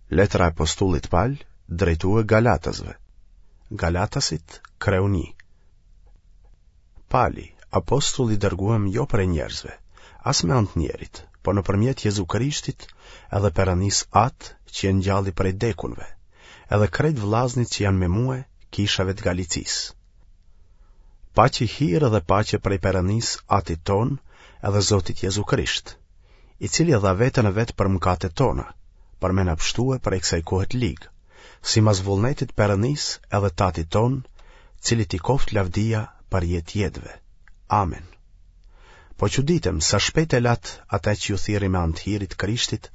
Letra e Apostullit Pal drejtue Galatasve. Galatasit, kreu 1. Pali, apostull i dërguem jo prej njerëzve, as me anë të njerit, po nëpërmjet Jezu Krishtit edhe Perënisë Atë që e ngjalli prej dekunve, edhe krejt vllaznit që janë me mue, kishave të Galicisë. Paçi hir edhe paqe prej Perënisë Atit tonë edhe Zotit Jezu Krisht, i cili e dha veten e vet për mëkatet tona, për me na pshtue prej kësaj kohe të ligë, simas vullnetit Perënisë edhe t'Atit tonë, cilit i koftë lavdia për jetë jetëve. Amen. Po çuditem sa shpejt e latë atë që ju thirri me anë të hirit të Krishtit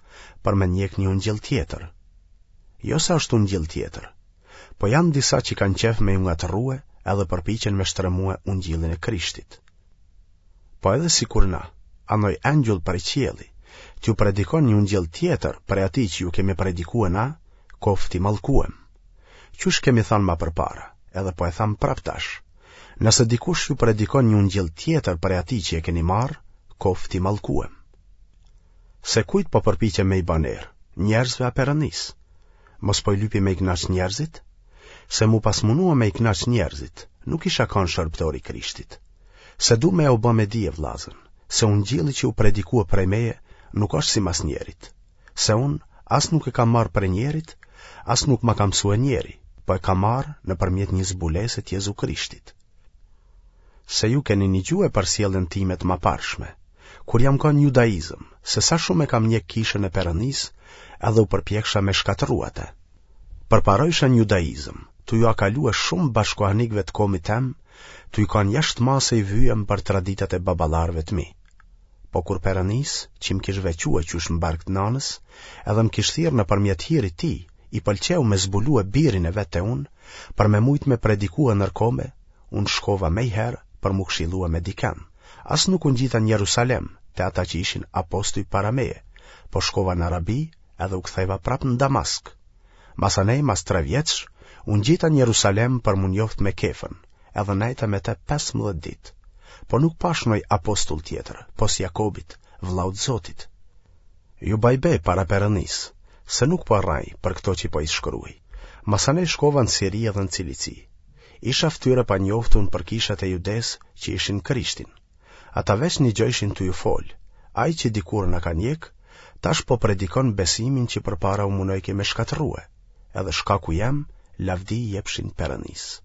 për me ndjek një ungjill tjetër. Jo se është ungjill tjetër, po janë disa që kanë qejf me ju ngatërrue edhe përpiqen me shtremue ungjillin e Krishtit. Po edhe sikur na, a noj engjull prej qielli, t'ju predikon një ungjill tjetër prej atij që ju kemi predikue na, koftë i mallkuem. Qysh kemi thanë ma përpara, edhe po e tham prapë tash. Nëse dikush ju predikon një ungjill tjetër prej atij që e keni marrë, koftë i mallkuem. Se kujt po përpiqem me i ba ner, njerëzve a Perëndisë? Mos po i lypi me i kënaq njerëzit? Se m'u pas munua me i kënaq njerëzit, nuk isha kanë shërbëtor i Krishtit. Se du me jau ba me dije vllazën, se ungjilli që u predikua prej meje nuk është simas njerit, se unë as nuk e kam marrë prej njerit, as nuk ma ka mësue njeri, po e kam marrë nëpërmjet një zbulese të Jezu Krishtit. Se ju keni nigjue për sjelljen time të maparshme, kur jam kanë n'judaizëm, se sa shumë e kam njek kishën e Perëndisë, edhe u përpjeksha me shkatërru atë. Përparojsha në judaizëm, tu jua kalue shumë bashkohanikëve të komit tem, tuj kanë jashtë mase i vyem për traditat e baballarëve të mi. Po kur Perëndisë, që më kish veçue qysh në bark të nanës, edhe më kish thirrë nëpërmjet hirit tij, i pëlqeu me zbulue birin e vet te unë, për me mujtë me predikue nër kome, unë shkova mejherë për m'u këshillue me diken, as nuk u ngjita në Jerusalem, te ata që ishin apostuj para meje, po shkova në Arabi, edhe u ktheva prapë në Damask. Masanej mas tre vjetësh, u ngjita në Jerusalem për m'u njoft me Kefën, edhe nejta me te 15 ditë. Po nuk pashë noj apostull tjetër, pos Jakobit, vëllaut Zotit. Ju baj be para Perëndisë, se nuk po rrej për këto që po i shkruaj. Masanej shkova në Siri edhe në Cilici. Isha ftyrë e panjoftun për kishat e Judesë që ishin Krishtin. Ata veç nigjojshin tuj u folë, ai që dikur na ka njekë, tash po predikon besimin që përpara u munojke me shkatërrue, edhe shkaku jem, lavdi i jepshin Perëndisë.